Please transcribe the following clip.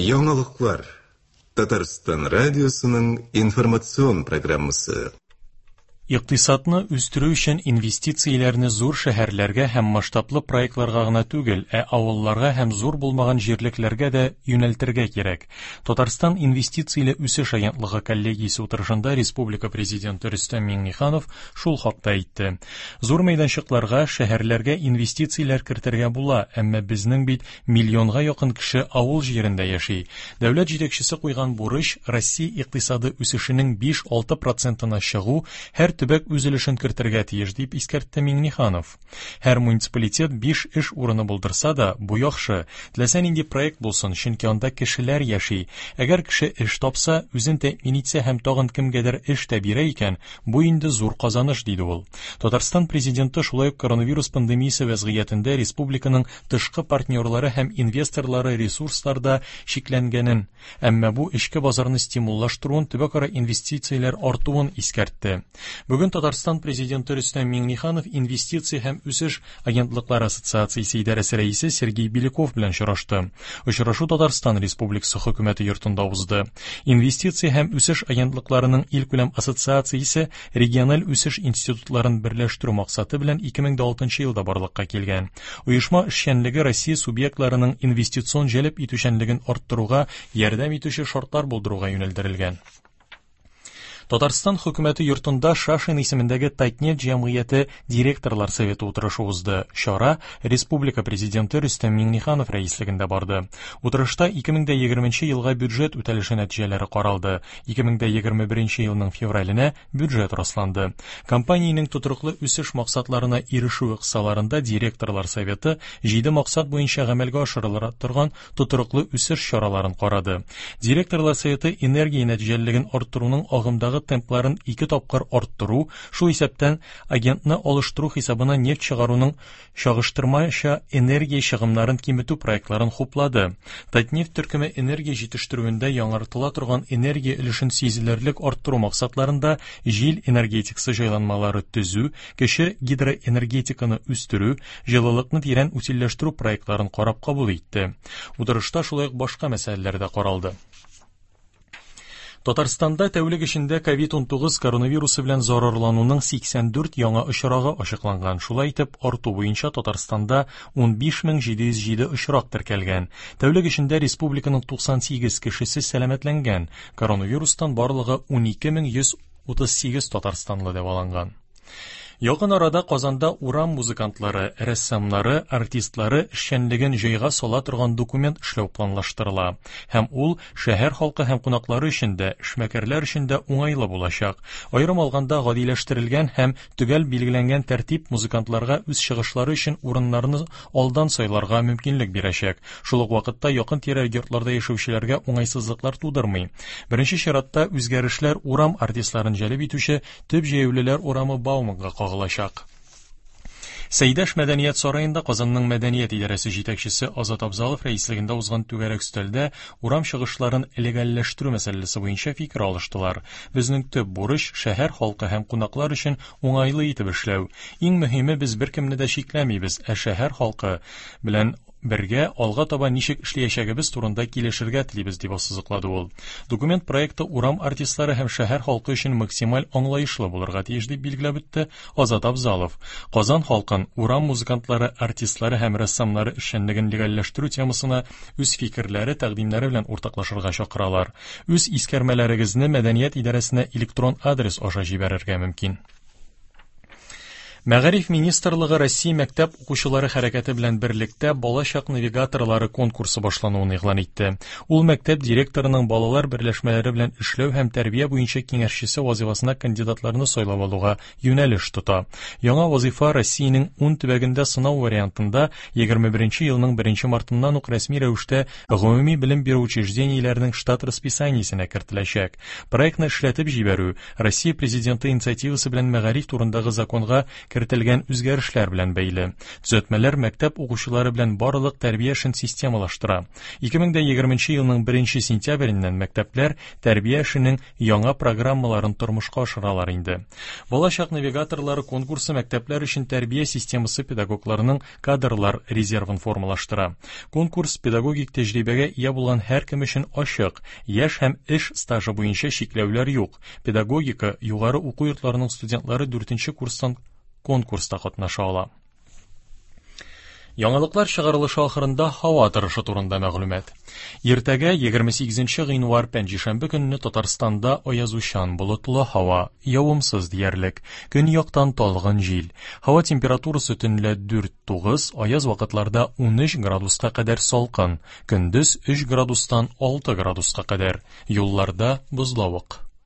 Яңалыклар. Татарстан радиосының информацион программасы. Икътисадны үстерү өчен инвестицияләрне зур шәһәрләргә һәм масштаблы проектларга гына түгел, ә авылларга һәм зур булмаган җирлекләргә дә юнәлтергә кирәк. Татарстан инвестицияле үсеш агентлыгы коллегиясе утырышында республика президенты Рөстәм Миңнеханов шул хакта әйтте. Зур мәйданчыкларга, шәһәрләргә инвестицияләр кертергә була, әмма безнең бит миллионга якын кеше авыл җирендә яши. Дәүләт җитәкчесе куйган бурыч Россия икътисады үсешенең 5-6 процентына чыгу, һәр төбәк үз өлешен кертергә тиеш, дип искәртте Миңнеханов. Һәр муниципалитет 5 эш урыны булдырса да, бу яхшы. Теләсә нинди проект булсын, чөнки анда кешеләр яши. Әгәр кеше эш тапса, үзен тәэмин итсә һәм тагын кемгәдер эш тә бирә икән, бу инде зур казаныш, диде ул. Татарстан Президенты шулай ук коронавирус пандемиясе вәзгыятендә республиканың тышкы партнерлары һәм инвесторлары ресурсларда чикләнгәнен, әмма бу эчке базарны стимуллаштыруын, төбәкара инвестицияләр артуын искәртте. Бүген Татарстан Президенты Рөстәм Миңнеханов Инвестиция һәм үсеш агентлыклары ассоциациясе идарәсе рәисе Сергей Беляков белән очрашты. Очрашу Татарстан Республикасы Хөкүмәте йортында узды. Инвестиция һәм үсеш агентлыкларының илкүләм ассоциациясе региональ үсеш институтларын берләштерү максаты белән 2006 елда барлыкка килгән. Оешма эшчәнлеге Россия субъектларының инвестицион җәлеп итүчәнлеген арттыруга ярдәм итүче шартлар булдыруга юнәлдерелгән. Татарстан хөкүмәте йортында Шашин исемендәге Татнефть җәмгыяте директорлар советы утырышы узды. Чара республика президенты Рөстәм Миңнеханов рәислегендә барды. Утырышта 2020 елга бюджет үтәлеше нәтиҗәләре каралды. 2021 елның февраленә бюджет расланды. Компаниянең тотрыклы үсеш максатларына ирешүе кысаларында директорлар советы җиде максат буенча гамәлгә ашырыла торган тотрыклы үсеш чараларын карады. Директорлар советы энергия нәтиҗәлелеген арттыруның агымдагы темпларын ике тапкыр арттыру, шул исәптән агентны алыштыру хисабына нефть чыгаруның чагыштырмача энергия чыгымнарын киметү проектларын хуплады. Татнефть төркеме энергия җитештерүендә яңартыла торган энергия өлешен сизелерлек арттыру максатларында җил энергетикасы җайланмалары төзү, кече гидроэнергетиканы үстерү, җылылыкны тирән утильләштерү проектларын карап кабул итте. Утырышта шулай ук башка мәсьәләләр дә каралды. Татарстанда тәүлек эчендә COVID-19 коронавирусы белән зарарлануның 84 яңа очрагы ачыкланган. Шулай итеп, арту буенча Татарстанда 15707 очрак теркәлгән. Тәүлек эчендә республиканың 98 кешесе сәламәтләнгән. Коронавирустан барлыгы 12138 татарстанлы дәваланган. Якын арада Казанда урам музыкантлары, рәссамнары, артистлары эшчәнлеген җайга сала торган документ эшләү планлаштырыла. Һәм ул шәһәр халкы һәм кунаклары өчен дә, эшмәкәрләр өчен дә уңайлы булачак. Аерым алганда, гадиләштерелгән һәм төгәл билгеләнгән тәртип музыкантларга үз чыгышлары өчен урыннарны алдан сайларга мөмкинлек бирәчәк. Шул ук вакытта якын-тирә йортларда яшәүчеләргә уңайсызлыклар тудырмый. Беренче чиратта үзгәрешләр урам артистларын җәлеп итүче Төп җәяүлеләр урамы Бауманга кагылачак. Сәйдәш мәдәният сараенда Казанның мәдәният идарәсе җитәкчесе Азат Абзалов рәислегендә узган түгәрәк өстәлдә урам чыгышларын легальләштерү мәсьәләсе буенча фикер алыштылар. Безнең төп бурыч, шәһәр халкы һәм кунаклар өчен уңайлы итеп эшләү. Иң мөһиме, без беркемне дә чикләмибез, ә шәһәр халкы белән бергә алга таба ничек эшләячәгебез турында килешергә телибез, дип ассызыклады ул. Документ проекты урам артистлары һәм шәһәр халкы өчен максималь аңлаешлы булырга тиеш, дип билгеләп үтте Азат Абзалов. Казан халкын урам музыкантлары, артистлары һәм рәссамнары эшчәнлеген легальләштерү темасына үз фикерләре, тәкъдимнәре белән уртаклашырга чакыралар. Үз искәрмәләрегезне мәдәният идарәсенә электрон адрес аша җибәрергә мөмкин. Мәгариф министрлыгы Россия мәктәп укучылары хәрәкәте белән берлектә Балачак навигаторлары конкурсы башлануын игълан итте. Ул мәктәп директорының балалар берләшмәләре белән эшләү һәм тәрбия буенча киңәшчесе вазифасына кандидатларны сайлап алуга юнәлеш тота. Яңа вазифа Россиянең 10 төбәгендә сынау вариантында 21 елның 1 мартыннан ук рәсми рәвештә гомуми белем бирү учреждениеләренең штат расписаниесенә кертеләчәк. Проектны эшләтеп җибәрү Россия Президенты инициативасы белән мәгариф турындагы законга кертелгән үзгәрешләр белән бәйле. Төзәтмәләр мәктәп укучылары белән барлык тәрбия эшен системалаштыра. 2020 елның 1 сентябреннән мәктәпләр тәрбия эшенең яңа программаларын тормышка ашыралар инде. Балачак навигаторлары конкурсы мәктәпләр өчен тәрбия системасы педагогларының кадрлар резервын формалаштыра. Конкурс педагогик тәҗрибәгә ия булган һәркем өчен ачык, яшь һәм эш стажы буенча чикләүләр юк. Педагогика югары уку йортларының студентлары 4 курстан конкурста катнаша ала. Яңалыклар чыгарылышы ахырында һава торышы турында мәгълүмат. Иртәгә 28 гыйнвар пәнҗешәмбе көнне Татарстанда аязучан болытлы һава, явымсыз диярлек. Көньяктан талгын җил. Һава температурасы төнлә 4-9, аяз вакытларда 13 градуска кадәр салкын, көндез 3 градустан 6 градуска кадәр. Юлларда бозлавык.